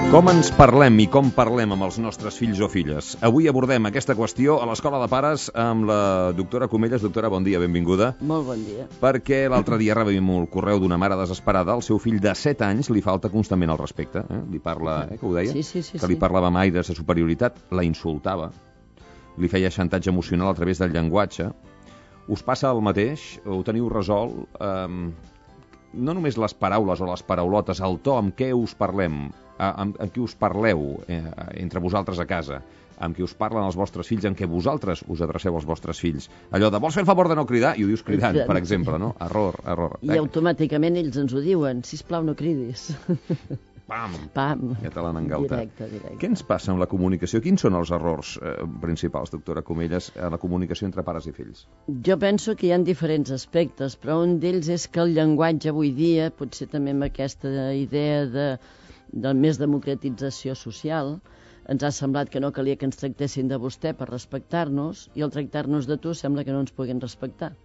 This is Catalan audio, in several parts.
Com ens parlem i com parlem amb els nostres fills o filles? Avui abordem aquesta qüestió a l'Escola de Pares amb la doctora Comelles. Doctora, bon dia, benvinguda. Molt bon dia. Perquè l'altre dia rebem el correu d'una mare desesperada. El seu fill de 7 anys li falta constantment el respecte. Li parla, que ho deia? Sí. Que li parlava amb aires de superioritat, la insultava, li feia xantatge emocional a través del llenguatge. Us passa el mateix? Ho teniu resolt? No només les paraules o les paraulotes, el to amb què us parlem, amb qui us parleu entre vosaltres a casa, amb qui us parlen els vostres fills, amb què vosaltres us adreceu als vostres fills. Allò de vols fer el favor de no cridar? I ho dius cridant, per exemple, no? Error. I automàticament ells ens ho diuen, sisplau no cridis. Pam. Ja te l'han engautat. Directe. Què ens passa amb la comunicació? Quins són els errors principals, doctora Comelles, en la comunicació entre pares i fills? Jo penso que hi ha diferents aspectes, però un d'ells és que el llenguatge avui dia, potser també amb aquesta idea de més democratització social, ens ha semblat que no calia que ens tractessin de vostè per respectar-nos, i al tractar-nos de tu sembla que no ens puguin respectar.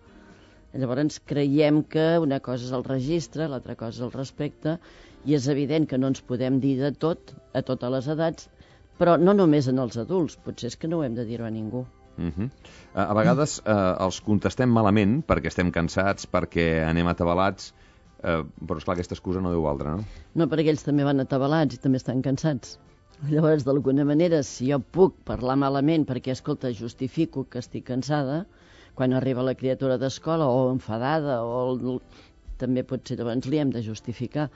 Llavors creiem que una cosa és el registre, l'altra cosa és el respecte, i és evident que no ens podem dir de tot, a totes les edats, però no només en els adults, potser és que no ho hem de dir-ho a ningú. A vegades els contestem malament perquè estem cansats, perquè anem atabalats, però esclar, aquesta excusa no deu valdre, no? No, perquè ells també van atabalats i també estan cansats. Llavors, d'alguna manera, si jo puc parlar malament perquè, escolta, justifico que estic cansada, quan arriba la criatura d'escola o enfadada, també potser llavors li hem de justificar.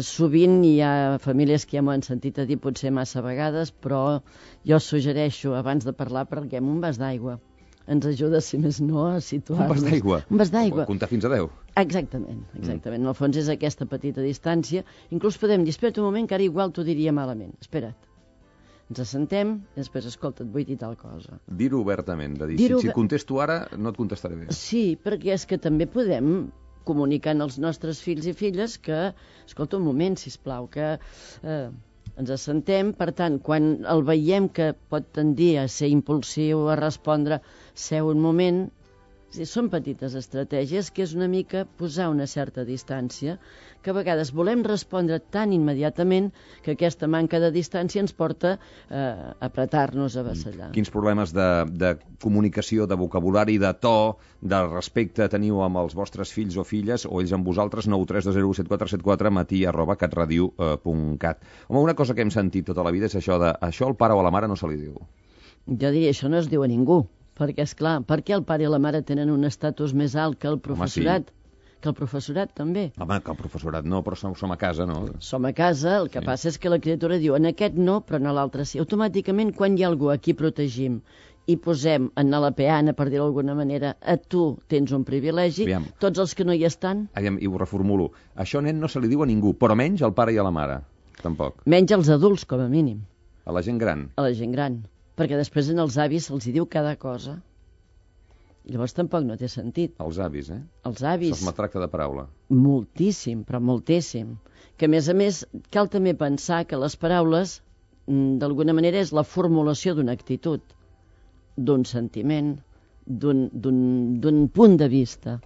Sovint hi ha famílies que ja m'ho han sentit a dir potser massa vegades, però jo suggereixo, abans de parlar, prenguem un vas d'aigua. Ens ajuda, si més no, a situar-nos. Un vas d'aigua? Un vas d'aigua. Comptar fins a 10. Exactament. En el fons és aquesta petita distància. Inclús podem dir, espera't un moment, que ara igual t'ho diria malament. Espera't. Ens assentem i després, escolta, et vull dir tal cosa. Dir-ho obertament, de dir, si contesto ara, no et contestaré bé. Sí, perquè és que també podem comunicant als nostres fills i filles que, escolta, un moment, sisplau, que ens assentem, per tant, quan el veiem que pot tendir a ser impulsiu, a respondre, seu un moment. Són petites estratègies que és una mica posar una certa distància, que a vegades volem respondre tan immediatament que aquesta manca de distància ens porta a apretar-nos, a vassallar. Quins problemes de comunicació, de vocabulari, de to, de respecte teniu amb els vostres fills o filles, o ells amb vosaltres? 932017474 matí@catradio.cat. Home, una cosa que hem sentit tota la vida és això de això al pare o a la mare no se li diu. Jo diria, això no es diu a ningú. Perquè, esclar, per què el pare i la mare tenen un estatus més alt que el professorat? Home, sí. Que el professorat també. Home, que el professorat no, però som a casa, no? Som a casa, el que passa és que la criatura diu en aquest no, però en l'altre sí. Automàticament, quan hi ha algú a qui protegim i posem en la peana, per dir-ho d'alguna manera, a tu tens un privilegi, tots els que no hi estan... I ho reformulo. Això, nen, no se li diu a ningú, però menys al pare i a la mare, tampoc. Menys als adults, com a mínim. A la gent gran? A la gent gran. Perquè després en els avis se'ls diu cada cosa. I llavors tampoc no té sentit. Els avis, Els avis. Se'ls maltracta de paraula. Moltíssim, però moltíssim. Que, a més, cal també pensar que les paraules, d'alguna manera, és la formulació d'una actitud, d'un sentiment, d'un punt de vista.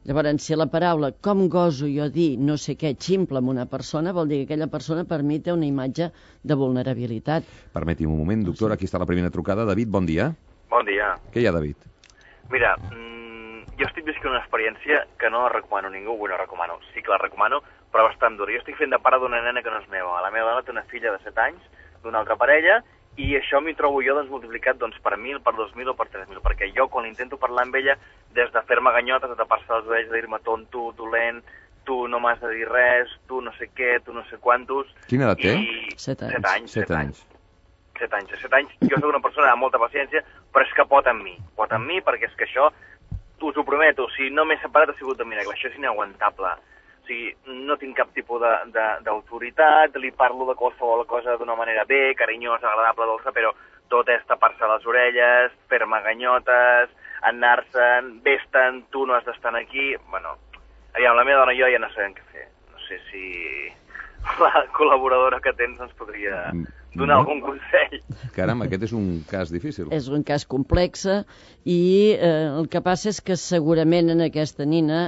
Llavors, si la paraula, com goso jo dir no sé què, ximpla amb una persona, vol dir que aquella persona per mi té una imatge de vulnerabilitat. Permeti'm un moment, doctora, aquí està la primera trucada. David, bon dia. Bon dia. Què hi ha, David? Mira, jo estic visquent una experiència que no recomano a ningú, sí que la recomano, però bastant dura. Jo estic fent de pare d'una nena que no és meva. La meva dona té una filla de 7 anys, d'una altra parella, i això m'hi trobo jo multiplicat per 1.000, per 2.000 o per 3.000, perquè jo quan intento parlar amb ella, des de fer-me ganyotes, de tapar-se les orelles, de dir-me tonto, dolent, tu no m'has de dir res, tu no sé què, tu no sé quantos... Quina edat té? 7 anys. 7 anys. 7 anys. Jo soc una persona amb molta paciència, però és que pot amb mi, perquè és que això, us ho prometo, si no m'he separat ha sigut de miracle, això és inaguantable. O sigui, no tinc cap tipus d'autoritat, li parlo de qualsevol cosa d'una manera bé, carinyosa, agradable, dolça, però tot és tapar-se les orelles, fer-me ganyotes, anar-se'n, vés-te'n, tu no has d'estar aquí... Bueno, aviam, la meva dona i jo ja no sabem què fer. No sé si la col·laboradora que tens ens podria donar algun consell. Caram, aquest és un cas difícil. És un cas complex i el que passa és que segurament en aquesta nina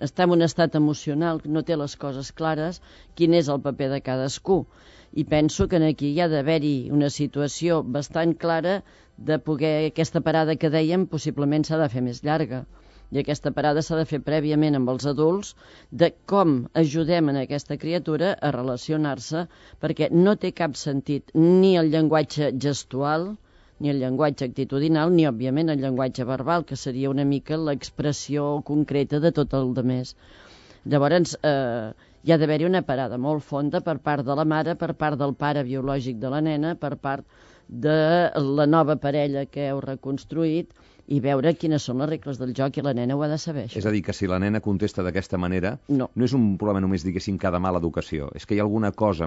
està en un estat emocional, no té les coses clares, quin és el paper de cadascú. I penso que aquí hi ha d'haver-hi una situació bastant clara de poder, aquesta parada que dèiem, possiblement s'ha de fer més llarga. I aquesta parada s'ha de fer prèviament amb els adults de com ajudem en aquesta criatura a relacionar-se, perquè no té cap sentit ni el llenguatge gestual, ni el llenguatge actitudinal, ni, òbviament, el llenguatge verbal, que seria una mica l'expressió concreta de tot el demés. Llavors, hi ha d'haver-hi una parada molt fonda per part de la mare, per part del pare biològic de la nena, per part de la nova parella que heu reconstruït, i veure quines són les regles del joc, i la nena ho ha de saber, això. És a dir, que si la nena contesta d'aquesta manera, no és un problema només, diguéssim, que de mala educació, és que hi ha alguna cosa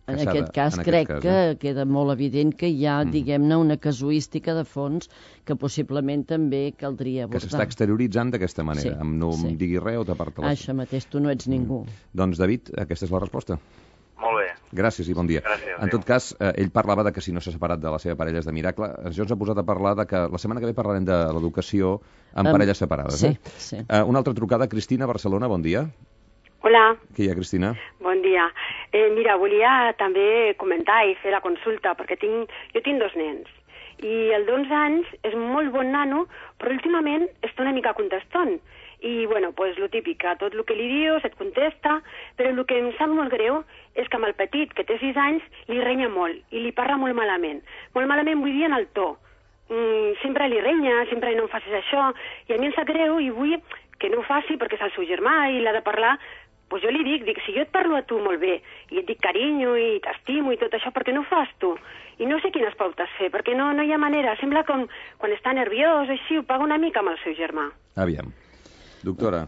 En aquest cas, crec que queda molt evident que hi ha, diguem-ne, una casuística de fons que possiblement també caldria abordar. Que s'està exterioritzant d'aquesta manera, no em diguis res o t'aparta la... Això mateix, tu no ets ningú. Doncs, David, aquesta és la resposta. Molt bé. Gràcies i bon dia. Gràcies, en tot cas, ell parlava de que si no s'ha separat de la seva parella és de miracle. Això ens ha posat a parlar de que la setmana que ve parlarem de l'educació en parelles separades. Sí. Una altra trucada, Cristina, Barcelona, bon dia. Hola. Què hi ha, Cristina? Bon dia. Mira, volia també comentar i fer la consulta, perquè jo tinc 2 nens. I el d'11 anys és molt bon nano, però últimament està una mica contestant. I, bueno, pues lo típic, a tot el que li dius et contesta, però el que em sap molt greu és que amb el petit, que té 6 anys, li renya molt i li parla molt malament. Molt malament vull dir en el to. Sempre li renya, sempre no em facis això, i a mi em sap greu i vull que no ho faci perquè és el seu germà i l'ha de parlar. Pues jo li dic, si jo et parlo a tu molt bé i et dic carinyo i t'estimo i tot això, per què no ho fas tu? I no sé quines pautes fer, perquè no hi ha manera. Sembla com quan està nerviós o així, ho paga una mica amb el seu germà. Aviam. Doctora.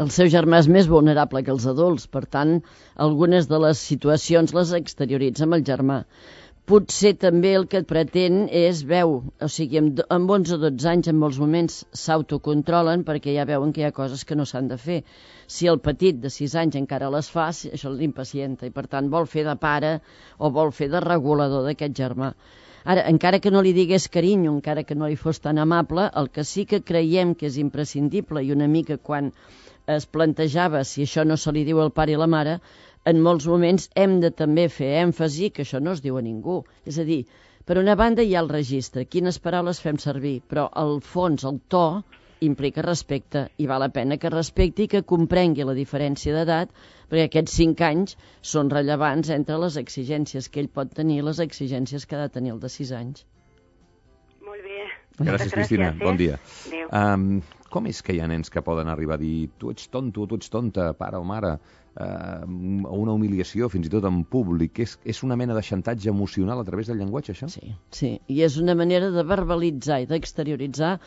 El seu germà és més vulnerable que els adults, per tant, algunes de les situacions les exterioritza amb el germà. Potser també el que et pretén és o sigui, amb 11 o 12 anys en molts moments s'autocontrolen perquè ja veuen que hi ha coses que no s'han de fer. Si el petit de 6 anys encara les fa, això l'impacienta i per tant vol fer de pare o vol fer de regulador d'aquest germà. Ara, encara que no li digués carinyo, encara que no li fos tan amable, el que sí que creiem que és imprescindible i una mica quan es plantejava si això no se li diu al pare i la mare, en molts moments hem de també fer èmfasi que això no es diu a ningú. És a dir, per una banda hi ha el registre, quines paraules fem servir, però al fons, el to, implica respecte i val la pena que respecti i que comprengui la diferència d'edat, perquè aquests 5 anys són rellevants entre les exigències que ell pot tenir i les exigències que ha de tenir el de 6 anys. Molt bé. Gràcies, Cristina. Bon dia. Adéu. Com és que hi ha nens que poden arribar a dir tu ets tonto o tu ets tonta, pare o mare, una humiliació, fins i tot en públic? És una mena de xantatge emocional a través del llenguatge, això? Sí, i és una manera de verbalitzar i d'exterioritzar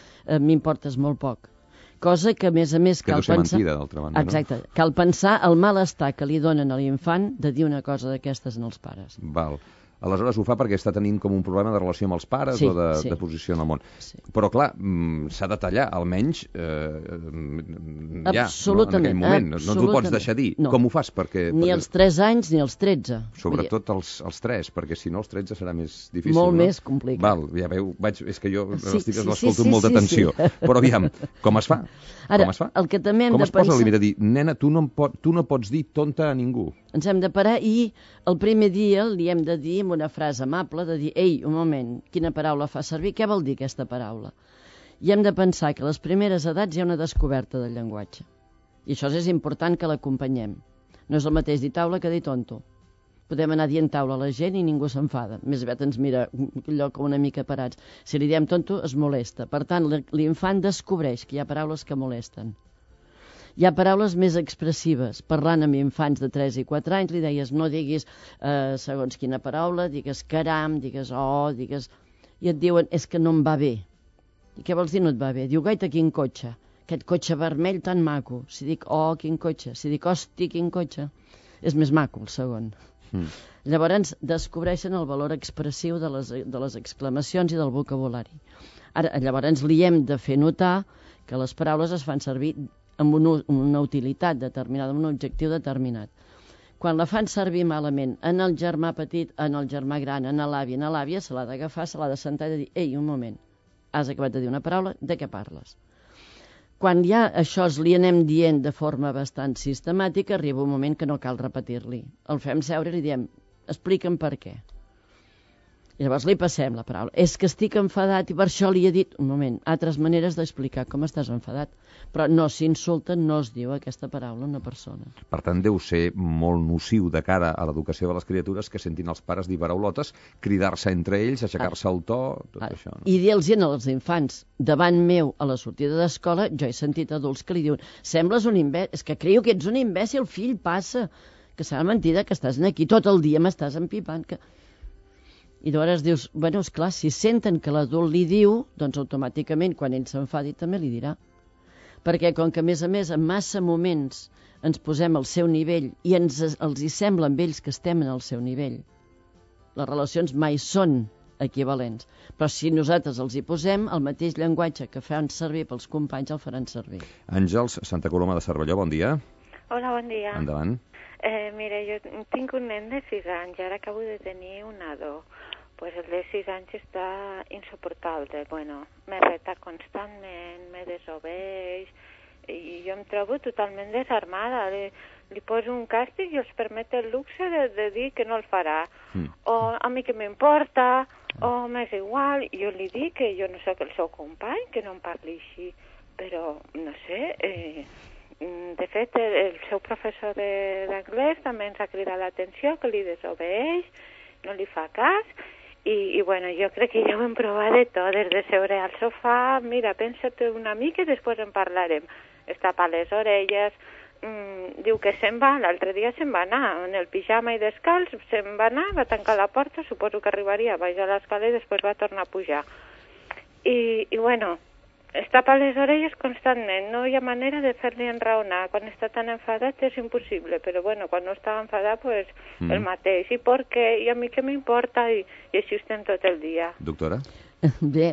m'importes molt poc. Cosa que, a més, cal pensar... Que deu ser mentida, d'altra banda, Exacte. Cal pensar el malestar que li donen a l'infant de dir una cosa d'aquestes en els pares. Val. Aleshores ho fa perquè està tenint com un problema de relació amb els pares o de posició en el món. Sí. Però, clar, s'ha de tallar, almenys, ja, en aquell moment. No ens ho pots deixar dir. No. Com ho fas? Ni els 3 anys ni els 13. Sobretot els 3, perquè si no els 13 serà més difícil. Molt més complicat. Val, ja veu, és que jo els tiques l'escolto amb molta atenció. Però aviam, com es fa? Ara, el que també hem de pensar... Com es posa el límit de dir, nena, tu no pots dir tonta a ningú? Ens hem de parar i el primer dia li hem de dir amb una frase amable, de dir, ei, un moment, quina paraula fa servir? Què vol dir aquesta paraula? I hem de pensar que a les primeres edats hi ha una descoberta del llenguatge. I això és important que l'acompanyem. No és el mateix dir taula que dir tonto. Podem anar dient taula a la gent i ningú s'enfada. Més aviat ens mira allò com una mica parats. Si li diem tonto, es molesta. Per tant, l'infant descobreix que hi ha paraules que molesten. Hi ha paraules més expressives. Parlant amb infants de 3 i 4 anys li deies no diguis segons quina paraula, digues caram, digues digues... I et diuen és que no em va bé. I què vols dir no et va bé? Diu gaita quin cotxe. Aquest cotxe vermell tan maco. Si dic quin cotxe. Si dic hosti quin cotxe. És més maco el segon. Llavors descobreixen el valor expressiu de les exclamacions i del vocabulari. Ara, llavors li hem de fer notar que les paraules es fan servir amb una utilitat determinada, amb un objectiu determinat. Quan la fan servir malament en el germà petit, en el germà gran, en l'avi, en l'àvia, se l'ha d'agafar, se l'ha de sentar i de dir: ei, un moment, has acabat de dir una paraula, de què parles? Quan ja això li anem dient de forma bastant sistemàtica, arriba un moment que no cal repetir-li. El fem seure i li diem: explica'm per què. I llavors li passem la paraula. És que estic enfadat i per això li he dit... Un moment, altres maneres d'explicar com estàs enfadat. Però no s'insulta, no es diu aquesta paraula a una persona. Per tant, deu ser molt nociu de cara a l'educació de les criatures que sentin els pares dir paraulotes, cridar-se entre ells, aixecar-se el to, tot això. No? I dir-los als infants, davant meu, a la sortida d'escola, jo he sentit adults que li diuen: sembles un imbècil, és que creio que ets un imbècil, fill, passa, que serà mentida que estàs aquí tot el dia, m'estàs empipant, que... I llavors dius, bueno, esclar, si senten que l'adult li diu, doncs automàticament, quan ell s'enfadi, també li dirà. Perquè, com que a més, en massa moments ens posem al seu nivell i els hi sembla amb ells que estem en el seu nivell, les relacions mai són equivalents. Però si nosaltres els hi posem, el mateix llenguatge que fan servir pels companys el faran servir. Àngels, Santa Coloma de Cervelló, bon dia. Hola, bon dia. Endavant. Mira, jo tinc un nen de 6 anys, ara acabo de tenir un nadó. Pues el de 6 anys està insoportable. Bueno, me reta constantment, me desobeix, i jo em trobo totalment desarmada. Li poso un càstig i els permet el luxe de dir que no el farà. O a mi que m'importa, o m'és igual. Jo li dic que jo no sóc el seu company, que no em parli així. Però, no sé... De fet, el seu professor d'anglès també ens ha cridat l'atenció, que li desobeeix, no li fa cas, i bueno, jo crec que ja ho hem provat de tot, des de seure al sofà, mira, pensa't una mica i després en parlarem. Es tapa les orelles, diu que se'n va, l'altre dia se'n va anar, en el pijama i descalç, se'n va anar, va tancar la porta, suposo que arribaria baix a l'escala i després va tornar a pujar. I bueno... Es tapa les orelles constantment, no hi ha manera de fer-li enraonar. Quan està tan enfadat és impossible, però bueno, quan no està enfadat, pues el mateix. I per què? I a mi què m'importa? I així estem tot el dia. Doctora? Bé,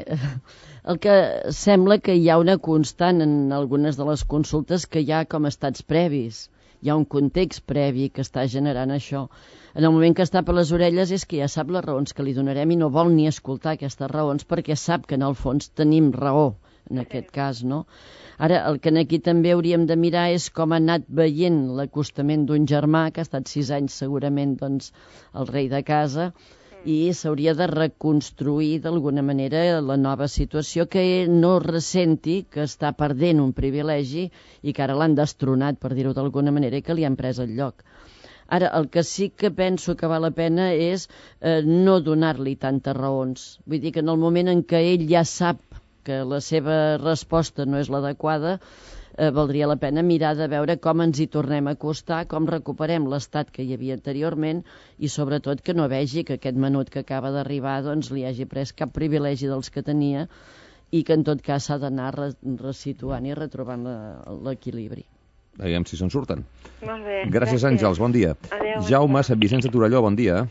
el que sembla que hi ha una constant en algunes de les consultes que hi ha com estats previs. Hi ha un context previ que està generant això. En el moment que està per les orelles és que ja sap les raons que li donarem i no vol ni escoltar aquestes raons perquè sap que en el fons tenim raó. En aquest cas, no? Ara, el que aquí també hauríem de mirar és com ha anat veient l'acostament d'un germà, que ha estat 6 anys segurament doncs, el rei de casa, i s'hauria de reconstruir d'alguna manera la nova situació, que no ressenti que està perdent un privilegi i que ara l'han destronat, per dir-ho d'alguna manera, i que li han pres el lloc. Ara, el que sí que penso que val la pena és no donar-li tantes raons. Vull dir que en el moment en què ell ja sap que la seva resposta no és l'adequada, valdria la pena mirar de veure com ens hi tornem a acostar, com recuperem l'estat que hi havia anteriorment i sobretot que no vegi que aquest menut que acaba d'arribar doncs, li hagi pres cap privilegi dels que tenia i que en tot cas s'ha d'anar resituant i retrobant l'equilibri. Aviam si se'n surten. Molt bé. Gràcies, Àngels, bon dia. Adéu, Jaume, Sant Vicenç de Torelló, bon dia.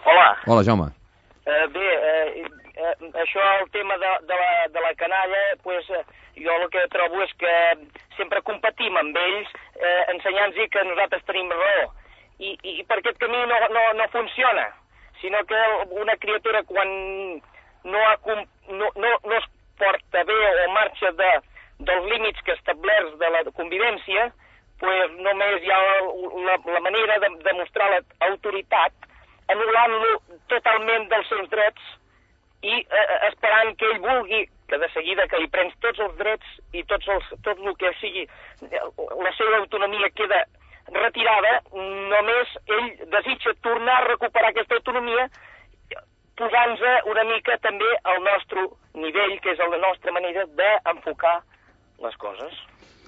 Hola. Hola, Jaume. Això, el tema de la canalla, pues, jo el que trobo és que sempre competim amb ells ensenyant-los que nosaltres tenim raó. I per aquest camí no funciona, sinó que una criatura quan no es porta bé o marxa dels límits que establerts de la convivència, pues, només hi ha la manera de demostrar l'autoritat anul·lant-lo totalment dels seus drets i esperant que ell vulgui que de seguida que li prens tots els drets i tot el que sigui la seva autonomia queda retirada, només ell desitja tornar a recuperar aquesta autonomia posant-nos una mica també al nostre nivell, que és la nostra manera d'enfocar les coses.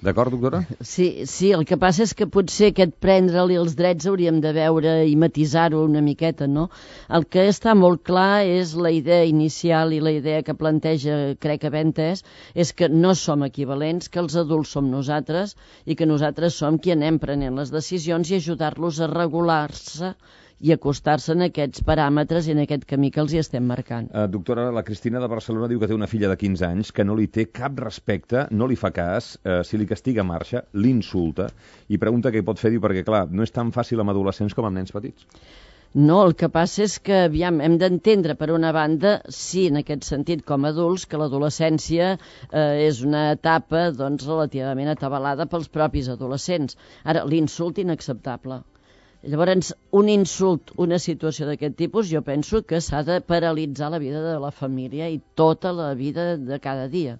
D'acord, doctora? Sí, el que passa és que potser aquest prendre-li els drets hauríem de veure i matisar-ho una miqueta, no? El que està molt clar és la idea inicial i la idea que planteja, crec haver entès, és que no som equivalents, que els adults som nosaltres i que nosaltres som qui anem prenent les decisions i ajudar-los a regular-se i acostar-se en aquests paràmetres i en aquest camí que els hi estem marcant. Doctora, la Cristina de Barcelona diu que té una filla de 15 anys que no li té cap respecte, no li fa cas, si li castiga marxa, l'insulta, i pregunta què hi pot fer, diu, perquè clar, no és tan fàcil amb adolescents com amb nens petits. No, el que passa és que, aviam, hem d'entendre, per una banda, sí, en aquest sentit, com a adults, que l'adolescència és una etapa, doncs, relativament atabalada pels propis adolescents. Ara, l'insult inacceptable. Llavors, un insult, una situació d'aquest tipus, jo penso que s'ha de paralitzar la vida de la família i tota la vida de cada dia.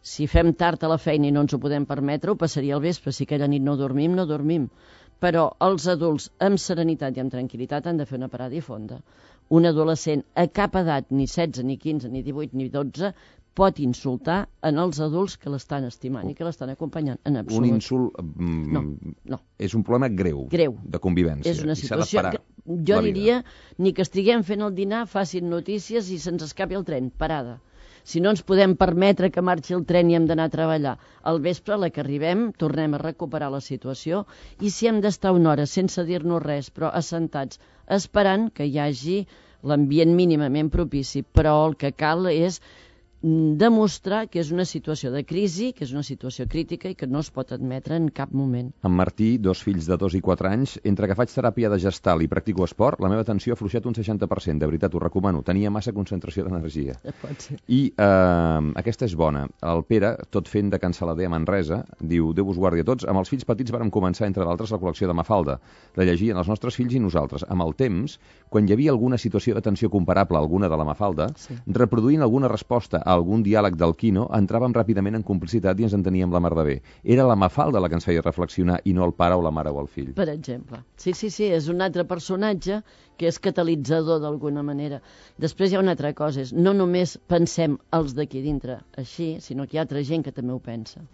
Si fem tard a la feina i no ens ho podem permetre, ho passaria al vespre. Si aquella nit no dormim, no dormim. Però els adults, amb serenitat i amb tranquil·litat, han de fer una parada i fonda. Un adolescent a cap edat, ni 16, ni 15, ni 18, ni 12, pot insultar en els adults que l'estan estimant i que l'estan acompanyant. En absolut. Un insult no. És un problema greu de convivència. És una situació que jo diria ni que estiguem fent el dinar, facin notícies i se'ns escapi el tren. Parada. Si no ens podem permetre que marxi el tren i hem d'anar a treballar, al vespre, a la que arribem, tornem a recuperar la situació i si hem d'estar una hora sense dir-nos res, però assentats, esperant que hi hagi l'ambient mínimament propici, però el que cal és demostrar que és una situació de crisi, que és una situació crítica i que no es pot admetre en cap moment. En Martí, 2 fills de 2 i 4 anys, entre que faig teràpia de gestal i practico esport, la meva atenció ha fluixat un 60%, de veritat, ho recomano, tenia massa concentració d'energia. Pot ser. I aquesta és bona. El Pere, tot fent de cancel·lader a Manresa, diu, Déu vos guardi a tots, amb els fills petits vàrem començar, entre d'altres, la col·lecció de Mafalda, de llegir en els nostres fills i nosaltres. Amb el temps, quan hi havia alguna situació d'atenció comparable a alguna de la Mafalda, reproduint alguna resposta a algun diàleg del Quino, entràvem ràpidament en complicitat i ens enteníem la mar de bé. Era la Mafalda la que ens feia reflexionar i no el pare o la mare o el fill. Per exemple. Sí, és un altre personatge que és catalitzador d'alguna manera. Després hi ha una altra cosa, és no només pensem els d'aquí dintre així, sinó que hi ha altra gent que també ho pensa.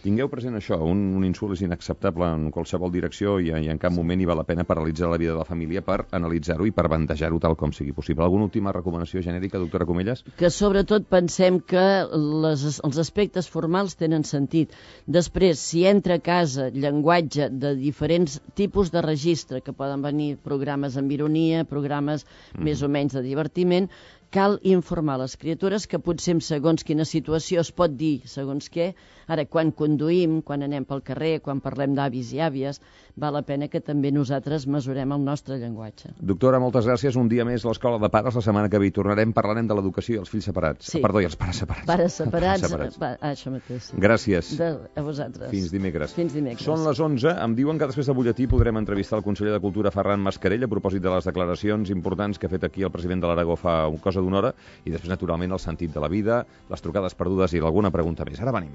Tingueu present això, un insult és inacceptable en qualsevol direcció i en cap moment hi val la pena paralitzar la vida de la família per analitzar-ho i per bandejar-ho tal com sigui possible. Alguna última recomanació genèrica, doctora Comelles? Que sobretot pensem que els aspectes formals tenen sentit. Després, si entra a casa llenguatge de diferents tipus de registre, que poden venir programes amb ironia, programes més o menys de divertiment, cal informar les criatures que potser en segons quina situació es pot dir segons què. Ara, quan conduïm, quan anem pel carrer, quan parlem d'avis i àvies, val la pena que també nosaltres mesurem el nostre llenguatge. Doctora, moltes gràcies. Un dia més a l'Escola de Pares. La setmana que ve hi tornarem, parlarem de l'educació i els fills separats. Sí. Perdó, i els pares separats. Pares separats. Això mateix. Sí. Gràcies. A vosaltres. Fins dimecres. Fins dimecres. Són les 11. Em diuen que després del butlletí podrem entrevistar el conseller de Cultura, Ferran Mascarell, a propòsit de les declaracions importants que ha fet aquí el president de l'Aragó fa cosa d'una hora, i després, naturalment, el sentit de la vida, les trucades perdudes i alguna pregunta més. Ara venim.